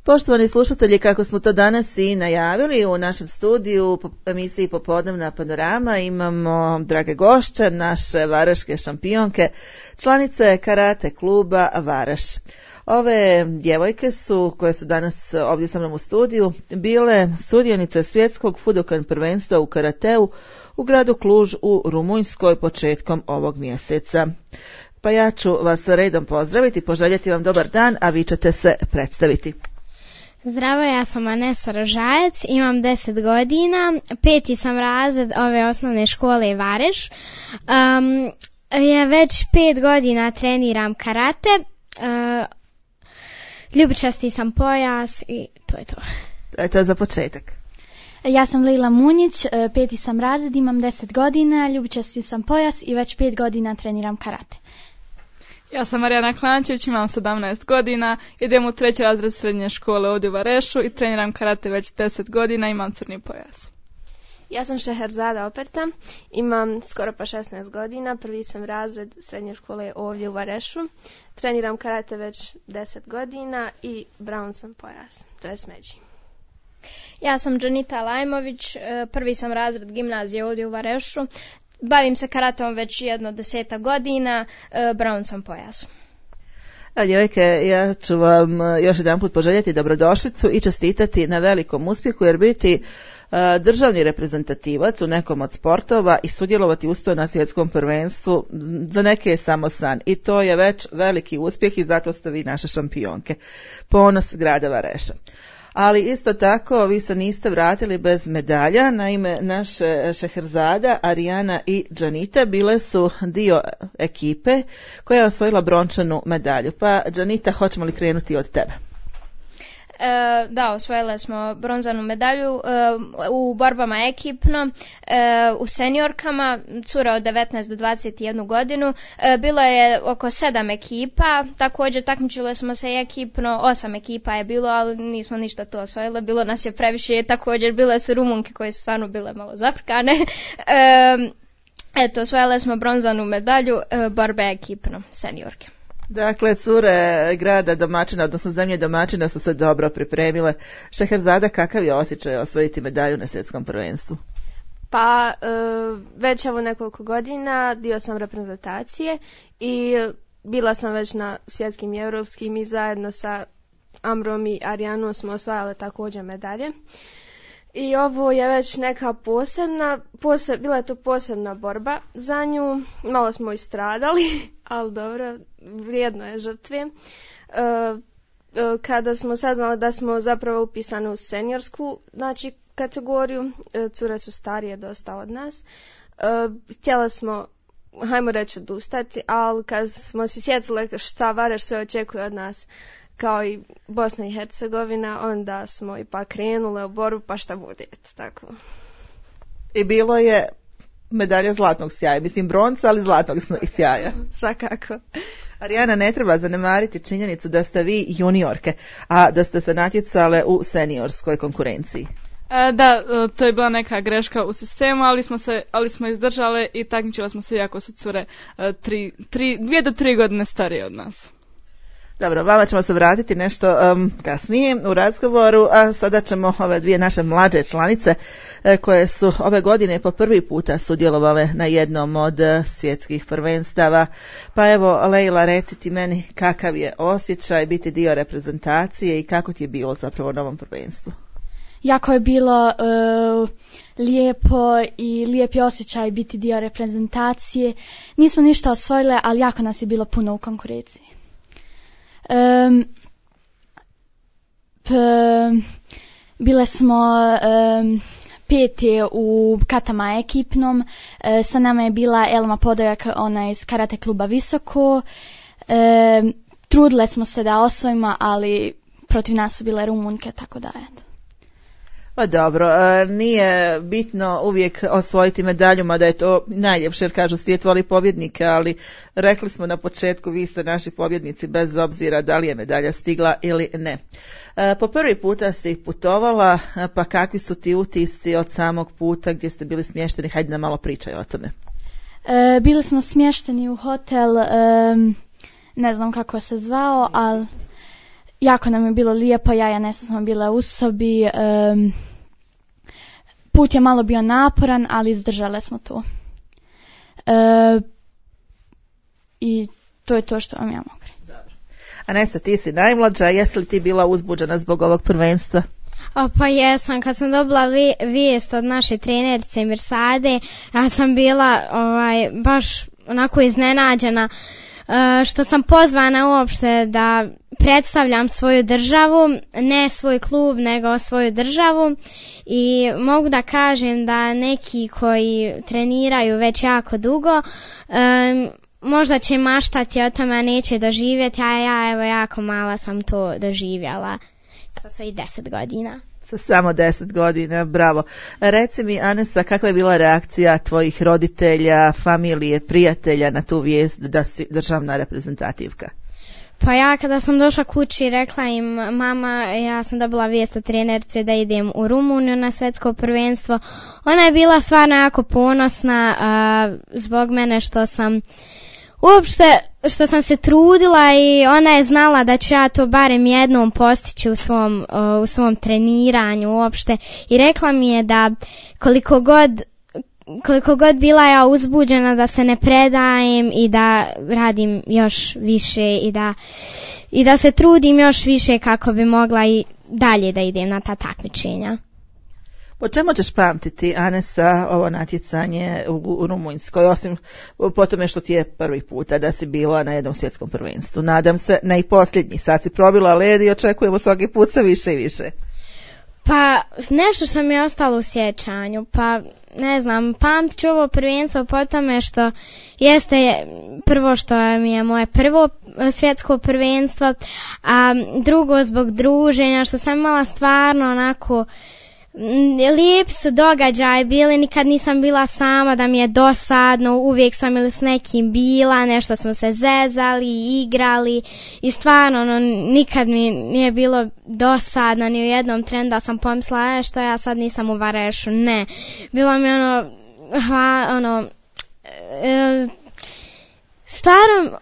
Poštovani slušatelji, kako smo to danas i najavili, u našem studiju u emisiji Popodnevna panorama imamo drage gošće, naše varaške šampionke, članice karate kluba Varaš. Ove djevojke su, koje su danas ovdje sa mnom u studiju, bile sudionice svjetskog Fudokan prvenstva u karateu u gradu Kluž u Rumunjskoj početkom ovog mjeseca. Pa ja ću vas redom pozdraviti, poželjeti vam dobar dan, a vi ćete se predstaviti. Zdravo, ja sam Anesa Rožajac, imam 10 godina, 5. sam razred ove osnovne škole Vareš. Ja već 5 godina treniram karate, ljubičasti sam pojas i to je to. To je to za početak. Ja sam Lila Munjić, 5. sam razred, imam 10 godina, ljubičasti sam pojas i već 5 godina treniram karate. Ja sam Marijana Klančević, imam 17 godina, idem u 3. razred srednje škole ovdje u Varešu i treniram karate već 10 godina, imam crni pojas. Ja sam Šeherzada Operta, imam skoro pa 16 godina, 1. sam razred srednje škole ovdje u Varešu, treniram karate već 10 godina i brown sam pojas, to je smeđi. Ja sam Džanita Lajmović, 1. sam razred gimnazije ovdje u Varešu, bavim se karatom već 10 godina, brown sam pojas. Djevojke, ja ću vam još jedanput poželjeti dobrodošlicu i čestitati na velikom uspjehu, jer biti državni reprezentativac u nekom od sportova i sudjelovati usto na svjetskom prvenstvu za neke je samo san i to je već veliki uspjeh i zato ste vi naše šampionke. Ponos grada Vareša. Ali isto tako vi se niste vratili bez medalja, naime naše Šeherzada, Arijana i Džanita bile su dio ekipe koja je osvojila brončanu medalju. Pa Džanita, hoćemo li krenuti od tebe? Da, osvojile smo bronzanu medalju u borbama ekipno, u seniorkama, cura od 19 do 21 godinu. Bilo je oko 7 ekipa, također takmičile smo se ekipno, 8 ekipa je bilo, ali nismo ništa to osvojile, bilo nas je previše, također bile su Rumunke koje su stvarno bile malo zafrkane. Eto, osvojile smo bronzanu medalju, borbe ekipno, seniorke. Dakle, cure grada domaćina, odnosno zemlje domaćina su se dobro pripremile. Šeherzada, kakav je osjećaj osvojiti medalju na svjetskom prvenstvu? Pa, već evo nekoliko godina dio sam reprezentacije i bila sam već na svjetskim i europskim i zajedno sa Amrom i Arijanom smo osvajale također medalje. I ovo je već neka bila je to posebna borba za nju, malo smo i stradali, ali dobro, vrijedno je žrtve. Kada smo saznali da smo zapravo upisani u seniorsku, znači kategoriju, cure su starije dosta od nas, htjela smo, hajmo reći, odustati, ali kad smo se sjetili šta Vareš sve očekuje od nas, kao i Bosna i Hercegovina, onda smo ipak krenule u borbu, pa šta bude, tako. I bilo je medalja zlatnog sjaja, mislim bronca, ali zlatnog sjaja. Svakako. Arijana, ne treba zanemariti činjenicu da ste vi juniorke, a da ste se natjecale u seniorskoj konkurenciji. Da, to je bila neka greška u sistemu, ali smo izdržale i takmičile smo se iako su cure 2 do 3 godine starije od nas. Dobro, vama ćemo se vratiti nešto kasnije u razgovoru, a sada ćemo ove dvije naše mlađe članice koje su ove godine po prvi puta sudjelovale na jednom od svjetskih prvenstava. Pa evo, Lejla, reci ti meni kakav je osjećaj biti dio reprezentacije i kako ti je bilo zapravo na ovom prvenstvu? Jako je bilo lijepo i lijepi osjećaj biti dio reprezentacije. Nismo ništa osvojile, ali jako nas je bilo puno u konkurenciji. Bile smo 5. u katama ekipnom, sa nama je bila Elma Podojak, ona iz karate kluba Visoko. Trudile smo se da osvojimo, ali protiv nas su bile Rumunjke, tako da eto. Pa dobro, nije bitno uvijek osvojiti medalju, mada je to najljepše, jer kažu svijet voli pobjednike, ali rekli smo na početku, vi ste naši pobjednici bez obzira da li je medalja stigla ili ne. Po prvi puta si putovala, pa kakvi su ti utisci od samog puta gdje ste bili smješteni? Hajde nam malo pričaj o tome. Bili smo smješteni u hotel, ne znam kako se zvao, ali jako nam je bilo lijepo, ja i Anesa smo bile u sobi. Put je malo bio naporan, ali izdržale smo to. I to je to što vam ja mogu reći. Anesa, ti si najmlađa, jesi li ti bila uzbuđena zbog ovog prvenstva? Pa jesam, kad sam dobila vijest od naše trenerice Mirsade, ja sam bila baš onako iznenađena što sam pozvana uopšte da predstavljam svoju državu, ne svoj klub, nego svoju državu, i mogu da kažem da neki koji treniraju već jako dugo možda će maštati o tome, a neće doživjeti, a ja evo jako mala sam to doživjela sa svojih 10 godina. Sa samo 10 godina, bravo. Reci mi, Anesa, kakva je bila reakcija tvojih roditelja, familije, prijatelja na tu vijest da si državna reprezentativka? Pa ja kada sam došla kući rekla im, mama, ja sam dobila vijest od trenerice da idem u Rumuniju na svjetsko prvenstvo. Ona je bila stvarno jako ponosna zbog mene što sam se trudila, i ona je znala da ću ja to barem jednom postići u svom treniranju uopšte, i rekla mi je da koliko god bila ja uzbuđena da se ne predajem i da radim još više i da se trudim još više kako bi mogla i dalje da idem na ta takmičenja. Po čemu ćeš pamtiti, Anesa, ovo natjecanje u Rumunjskoj, osim po tome što ti je prvi puta da si bila na jednom svjetskom prvenstvu? Nadam se, ne i posljednji. Sad si probila led i očekujemo svaki put sve više i više. Pa nešto što mi je ostalo u sjećanju, pa ne znam, pamtit ću ovo prvenstvo po tome što jeste prvo što mi je moje prvo svjetsko prvenstvo, a drugo zbog druženja, što sam imala stvarno onako lijepi su događaj bili, nikad nisam bila sama da mi je dosadno, uvijek sam ili s nekim bila, nešto smo se zezali, igrali, i stvarno nikad mi nije bilo dosadno ni u jednom trenu da sam pomislila što ja sad nisam u Varešu, ne. Bilo mi stvarno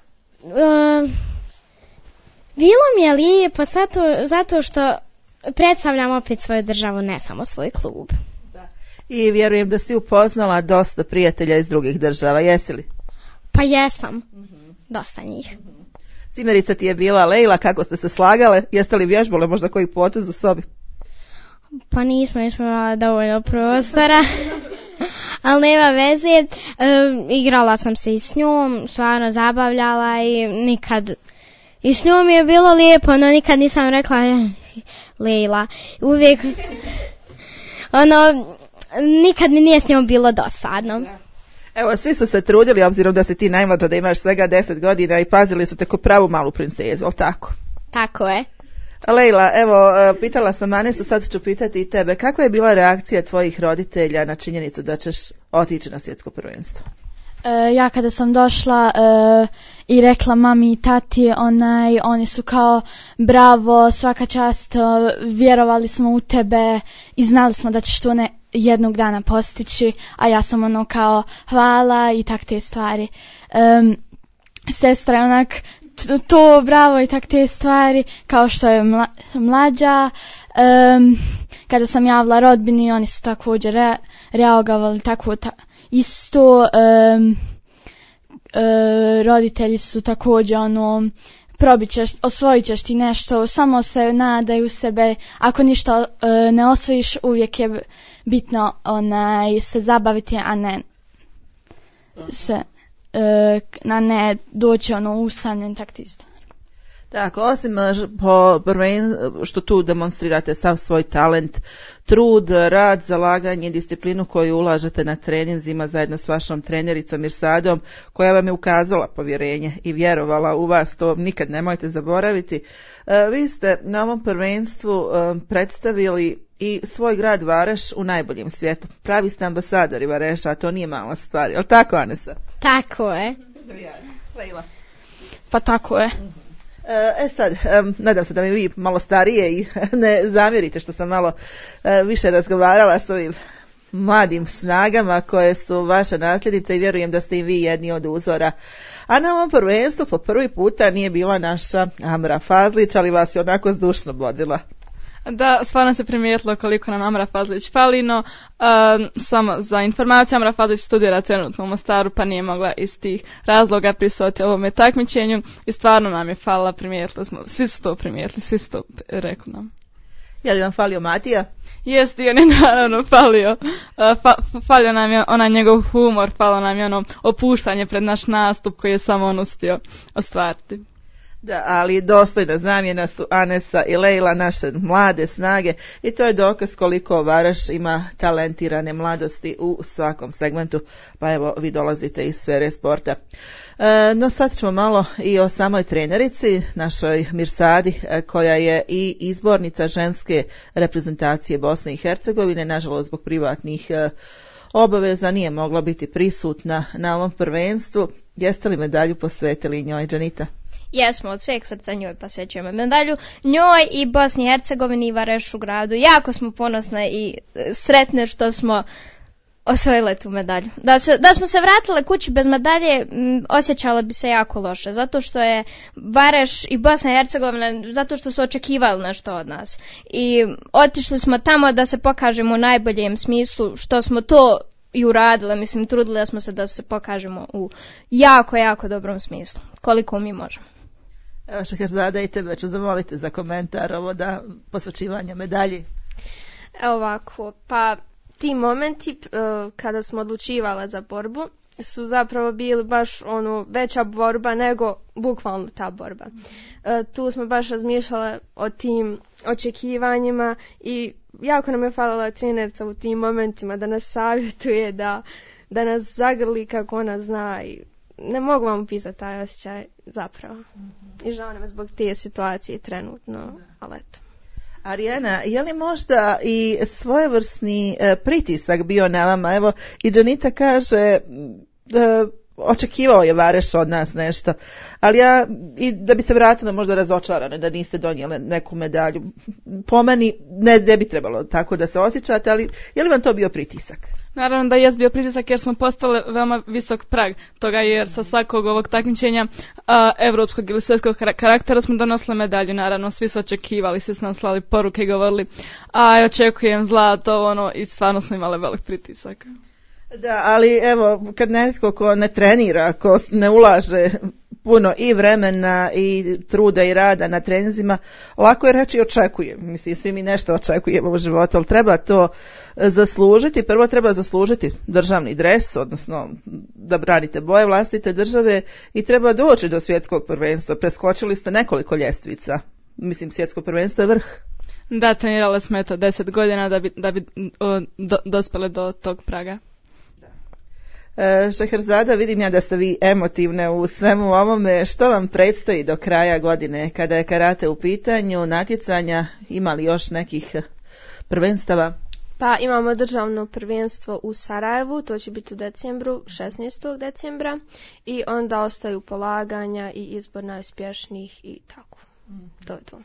bilo mi je lijepo zato što predstavljam opet svoju državu, ne samo svoj klub. Da. I vjerujem da si upoznala dosta prijatelja iz drugih država, jesi li? Pa jesam, dosta njih. Cimerica ti je bila Lejla, kako ste se slagale? Jeste li vježbale možda koji potez u sobi? Pa nismo imali dovoljno prostora, ali nema veze. Igrala sam se i s njom, stvarno zabavljala, i s njom je bilo lijepo, no nikad nisam rekla Lejla. Uvijek nikad mi nije s njom bilo dosadno. Evo, svi su se trudili, obzirom da si ti najmlađa, da imaš svega 10 godina, i pazili su te ko pravu malu princezu, ali tako? Tako je. Lejla, evo, pitala sam Anesu, sad ću pitati i tebe. Kakva je bila reakcija tvojih roditelja na činjenicu da ćeš otići na svjetsko prvenstvo? Ja kada sam došla i rekla mami i tati, oni su kao bravo, svaka čast, vjerovali smo u tebe i znali smo da ćeš to jednog dana postići, a ja sam kao hvala i tak te stvari. Sestra je to bravo i tak te stvari, kao što je mlađa. Kada sam javila rodbini, oni su također reagovali tako isto. Roditelji su također osvojit ćeš ti nešto, samo se nadaju sebe, ako ništa ne osvojiš, uvijek je bitno se zabaviti, a ne doći usamljen, tak ti isto. Tako, osim što tu demonstrirate sav svoj talent, trud, rad, zalaganje, disciplinu koju ulažete na treninzima zajedno s vašom trenericom Mirsadom, koja vam je ukazala povjerenje i vjerovala u vas, to nikad nemojte zaboraviti. Vi ste na ovom prvenstvu predstavili i svoj grad Vareš u najboljem svijetu. Pravi ste ambasadori Vareša, a to nije mala stvar. Je li tako, Anesa? Tako je. Lejla? Pa tako je. Sad, nadam se da mi vi malo starije i ne zamjerite što sam malo više razgovarala s ovim mladim snagama koje su vaša nasljednica i vjerujem da ste i vi jedni od uzora. A na ovom prvenstvu po prvi puta nije bila naša Amra Fazlić, ali vas je onako zdušno bodrila. Da, stvarno se primijetilo koliko nam Amra Fazlić fali, no samo za informaciju, Amra Fazlić studira trenutno u Mostaru, pa nije mogla iz tih razloga prisustvovati ovome takmičenju i stvarno nam je falila, primijetili smo, svi su to primijetili, svi su to rekli nam. Je li vam falio Matija? Jest, i on je naravno falio. Falio nam je onaj njegov humor, falio nam je ono opuštanje pred naš nastup koji je samo on uspio ostvariti. Da, ali dostojna zamjena su Anesa i Lejla, naše mlade snage, i to je dokaz koliko Varaš ima talentirane mladosti u svakom segmentu, pa evo vi dolazite iz sfere sporta. No sad ćemo malo i o samoj trenerici, našoj Mirsadi, koja je i izbornica ženske reprezentacije Bosne i Hercegovine, nažalost zbog privatnih obaveza nije mogla biti prisutna na ovom prvenstvu. Jeste li medalju posvetili njoj, Džanita? Jesmo, od sveg srca njoj posvećujemo medalju, njoj i Bosni i Hercegovini i Varešu gradu. Jako smo ponosne i sretne što smo osvojile tu medalju. Da smo se vratile kući bez medalje, osjećala bi se jako loše, zato što je Vareš i Bosna i Hercegovina, zato što su očekivali nešto od nas. I otišli smo tamo da se pokažemo u najboljem smislu, što smo to i uradile, mislim, trudile smo se da se pokažemo u jako, jako dobrom smislu, koliko mi možemo. Evo Šeherzada, i tebe ću zamoliti za komentar ovo da posvećivanje medalji. Evo ovako, pa ti momenti kada smo odlučivale za borbu su zapravo bili baš veća borba nego bukvalno ta borba. Tu smo baš razmišljale o tim očekivanjima i jako nam je falila trenerca u tim momentima da nas savjetuje, da nas zagrli kako ona zna i ne mogu vam opisati taj osjećaj zapravo. I žao nam je zbog te situacije trenutno, ali eto. Arijana, je li možda i svojevrsni pritisak bio na vama? Evo, i Džanita kaže očekivao je Vareš od nas nešto, ali ja, i da bi se vratila možda razočarane da niste donijele neku medalju, po meni ne bi trebalo tako da se osjećate, ali je li vam to bio pritisak? Naravno da je bio pritisak jer smo postali veoma visok prag toga, jer sa svakog ovog takmičenja evropskog ili svjetskog karaktera smo donosili medalju, naravno svi su očekivali, svi su nam slali poruke i govorili očekujem zlato, i stvarno smo imali velik pritisak. Da, ali evo, kad netko ko ne trenira, ko ne ulaže puno i vremena i truda i rada na treninzima, lako je reći očekujem. Mislim, svi mi nešto očekujemo u životu, ali treba to zaslužiti. Prvo treba zaslužiti državni dres, odnosno da branite boje vlastite države, i treba doći do svjetskog prvenstva. Preskočili ste nekoliko ljestvica. Mislim, svjetsko prvenstvo je vrh. Da, trenirali smo 10 godina da bi dospjeli do tog praga. Šeherzada, vidim ja da ste vi emotivne u svemu ovome. Što vam predstoji do kraja godine kada je karate u pitanju, natjecanja? Ima li još nekih prvenstava? Pa imamo državno prvenstvo u Sarajevu, to će biti u decembru, 16. decembra, i onda ostaju polaganja i izbor najuspješnijih i tako. To je to.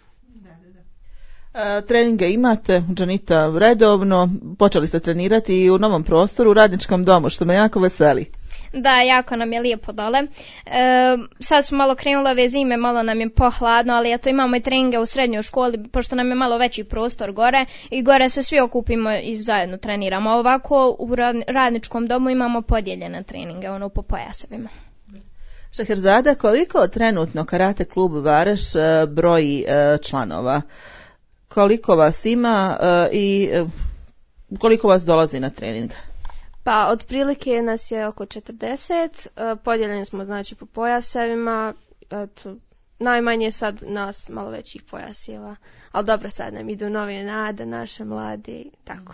Treninge imate, Džanita, redovno, počeli ste trenirati i u novom prostoru u Radničkom domu, što me jako veseli. Da, jako nam je lijepo dole. Sad su malo krenule ove zime, malo nam je pohladno, ali eto imamo i treninge u srednjoj školi, pošto nam je malo veći prostor gore i gore se svi okupimo i zajedno treniramo. Ovako u Radničkom domu imamo podijeljene treninge, po pojasevima. Šeherzada, koliko trenutno karate klub Vareš broji članova? Koliko vas ima i koliko vas dolazi na trening? Pa otprilike nas je oko 40, podijeljeni smo znači po pojasevima, najmanje sad nas malo većih pojaseva, ali dobro, sad nam idu nove nade, naše mlade, tako.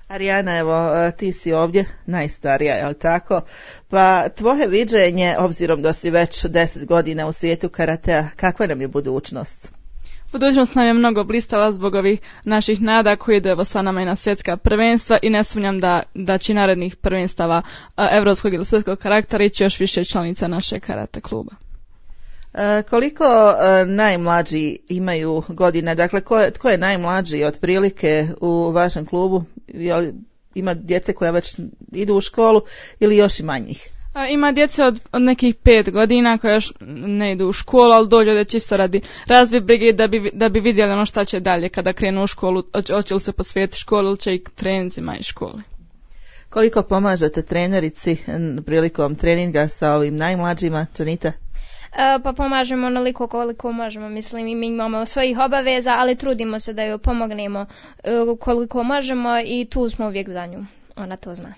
Arijana, evo, ti si ovdje najstarija, je li tako? Pa tvoje viđenje, obzirom da si već 10 godina u svijetu karatea, kakva nam je budućnost? Budućnost nam je mnogo blistava zbog ovih naših nada koji idu evo sa nama i na svjetska prvenstva, i ne sumnjam da će narednih prvenstava evropskog ili svjetskog karaktera ići još više članica našeg karate kluba. Koliko najmlađi imaju godina? Dakle, tko je najmlađi otprilike u vašem klubu? ima djece koja već idu u školu ili još i manjih? Ima djece od nekih 5 godina koja još ne idu u školu, ali dođu da čisto radi razbije brige da bi vidjeli ono šta će dalje kada krenu u školu, hoće li se posvetiti školu ili će i treninzima iz škole. Koliko pomažete trenerici prilikom treninga sa ovim najmlađima, Janita? Pa pomažemo onoliko koliko možemo, mislim, i mi imamo svojih obaveza, ali trudimo se da joj pomognemo koliko možemo i tu smo uvijek za nju, ona to zna.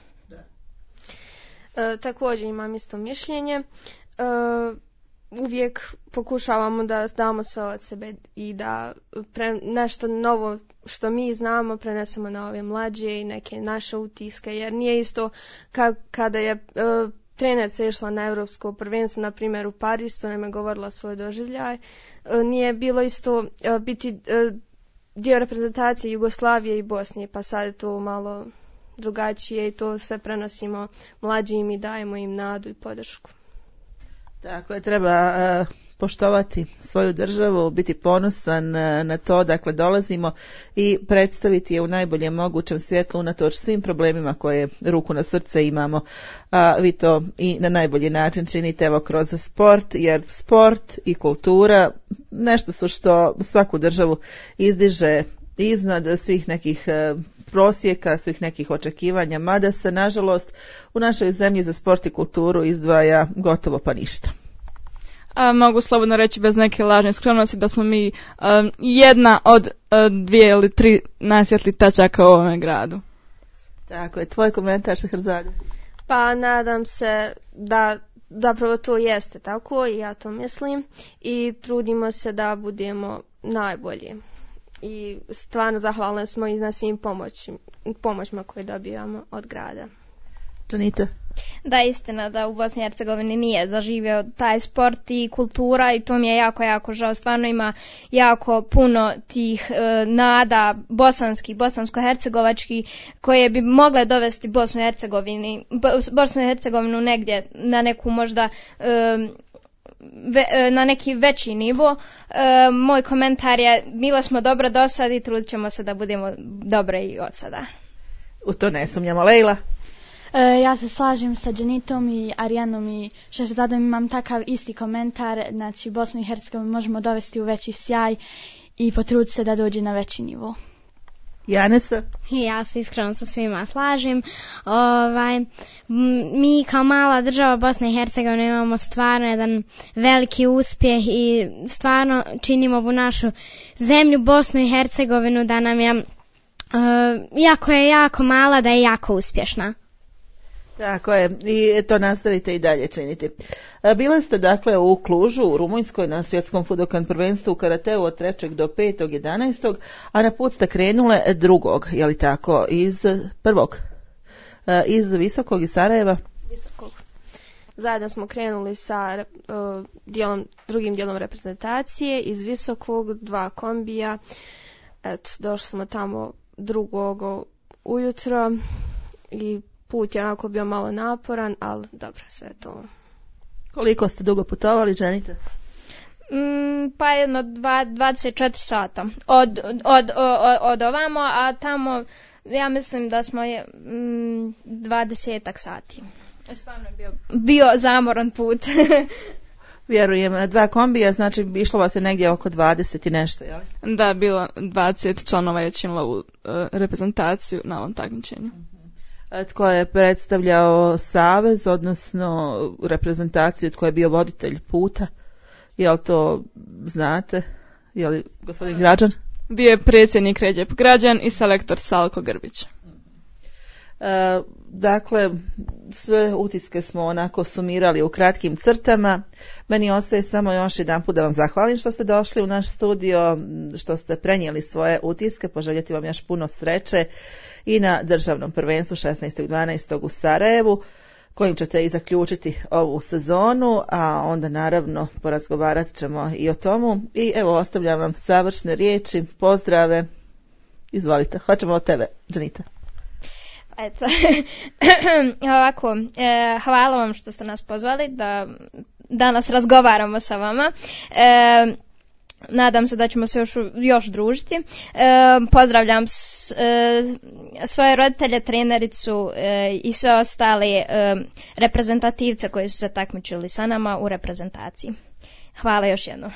Također imam isto mišljenje. Uvijek pokušavamo da damo sve od sebe i da nešto novo što mi znamo prenesemo na ove mlađe i neke naše utiske, jer nije isto kada je trenerca išla na europsko prvenstvo, na primjer u Pariz, to nam je govorila svoj doživljaj. Nije bilo isto biti dio reprezentacije Jugoslavije i Bosne, pa sad je to malo drugačije i to sve prenosimo mlađim i dajemo im nadu i podršku. Tako je, treba poštovati svoju državu, biti ponosan na to, dakle dolazimo i predstaviti je u najboljem mogućem svjetlu unatoč svim problemima koje ruku na srce imamo, a vi to i na najbolji način činite evo kroz sport, jer sport i kultura nešto su što svaku državu izdiže iznad svih nekih prosjeka, svih nekih očekivanja, mada se nažalost u našoj zemlji za sport i kulturu izdvaja gotovo pa ništa. Mogu slobodno reći bez neke lažne skromnosti da smo mi jedna od 2 ili 3 najsvjetlih tačaka u ovome gradu. Tako je, tvoj komentar, Šehrazade? Pa nadam se da zapravo to jeste tako i ja to mislim i trudimo se da budemo najbolji. I stvarno zahvalni smo i na svim pomoćima koje dobijamo od grada. Janita? Da, istina da u Bosni i Hercegovini nije zaživio taj sport i kultura i to mi je jako, jako žao. Stvarno ima jako puno tih nada bosansko-hercegovački koje bi mogle dovesti Bosnu i Hercegovinu negdje na neku možda na neki veći nivo. Moj komentar je, bile smo dobro do sad i trudit ćemo se da budemo dobre i od sada. U to ne sumnjamo. Lejla? Ja se slažem sa Janitom i Arijanom i Šehrazadom, imam takav isti komentar, znači Bosnu i Hercegovinu možemo dovesti u veći sjaj i potruditi se da dođe na veći nivo. Janesa? Ja se iskreno sa svima slažem. Mi kao mala država Bosne i Hercegovine imamo stvarno jedan veliki uspjeh i stvarno činimo u našu zemlju Bosnu i Hercegovinu da nam je jako je jako mala, da je jako uspješna. Tako je, i to nastavite i dalje činiti. Bile ste dakle u Klužu, u Rumunjskoj, na svjetskom Fudokan prvenstvu u karateu od 3. do 5.11. a na put ste krenule 2. je li tako, iz Visokog i Sarajeva? Visokog. Zajedno smo krenuli sa drugim dijelom reprezentacije iz Visokog, 2 kombija. Eto, došli smo tamo 2. ujutro i put je onako bio malo naporan, ali dobro, sve to. Koliko ste dugo putovali, Janita? Pa jedno 24 sata od ovamo, a tamo ja mislim da smo 20 sati. Stvarno je bio zamoran put. Vjerujem, 2 kombija, znači išlo vas je negdje oko 20 i nešto, jel? Da, bilo 20 članova je činilo u reprezentaciju na ovom takmičenju. Tko je predstavljao savez, odnosno reprezentaciju, tko je bio voditelj puta? Jel to znate? Je li gospodin Građan? Bio je predsjednik Ređep Građan i selektor Salko Grbić. Dakle, sve utiske smo onako sumirali u kratkim crtama. Meni ostaje samo još jedan put da vam zahvalim što ste došli u naš studio, što ste prenijeli svoje utiske, poželjeti vam još puno sreće i na državnom prvenstvu 16.12. u Sarajevu, kojim ćete i zaključiti ovu sezonu, a onda naravno porazgovarat ćemo i o tomu. I evo, ostavljam vam završne riječi, pozdrave. Izvolite, hoćemo od tebe, Janita. Eto, ovako, hvala vam što ste nas pozvali da danas razgovaramo sa vama. Nadam se da ćemo se još družiti. Pozdravljam svoje roditelje, trenericu i sve ostale reprezentativce koji su se takmičili sa nama u reprezentaciji. Hvala još jednom.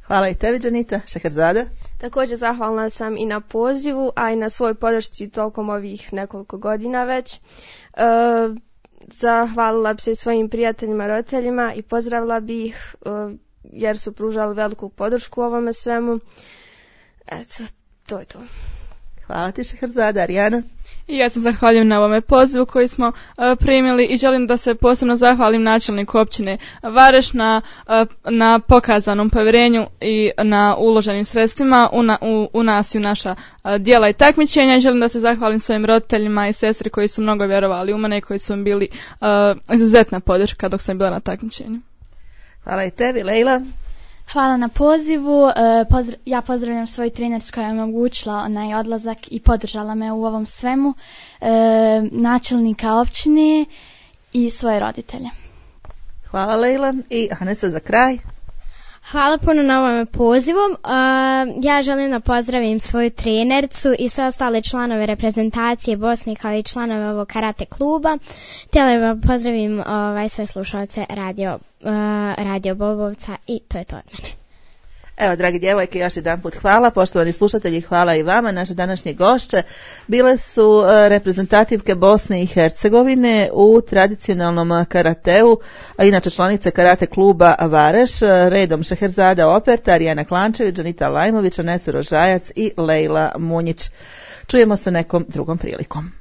Hvala i tebi, Džanita. Šeherzada? Također zahvalna sam i na pozivu, a i na svoj podršci tokom ovih nekoliko godina već. Zahvalila bi se i svojim prijateljima, roditeljima i pozdravila bi ih jer su pružali veliku podršku ovome svemu. Eto, to je to. Hvala ti, Šeherzada. Arijana? I ja se zahvaljujem na ovome pozivu koji smo primili i želim da se posebno zahvalim načelniku općine Vareš na pokazanom povjerenju i na uloženim sredstvima u nas i u naša djela i takmičenja. I želim da se zahvalim svojim roditeljima i sestri koji su mnogo vjerovali u mene i koji su mi bili izuzetna podrška dok sam bila na takmičenju. Hvala i tebi, Lejla. Hvala na pozivu. Ja pozdravljam svoju trenerku koja je omogućila onaj odlazak i podržala me u ovom svemu, načelnika općine i svoje roditelje. Hvala, Lejla. I Anesa za kraj. Hvala puno na ovom pozivu. Ja želim da pozdravim svoju trenercu i sve ostale članove reprezentacije Bosne kao i članove ovog karate kluba. Htjela da pozdravim sve slušalce Radio Bobovca i to je to od mene. Evo, dragi djevojke, još jedan put hvala. Poštovani slušatelji, hvala i vama. Naše današnje gošće bile su reprezentativke Bosne i Hercegovine u tradicionalnom karateu, a inače članice karate kluba Vareš, redom Šeherzada Operta, Arijana Klančević, Džanita Lajmović, Anesa Rožajac i Lejla Munjić. Čujemo se nekom drugom prilikom.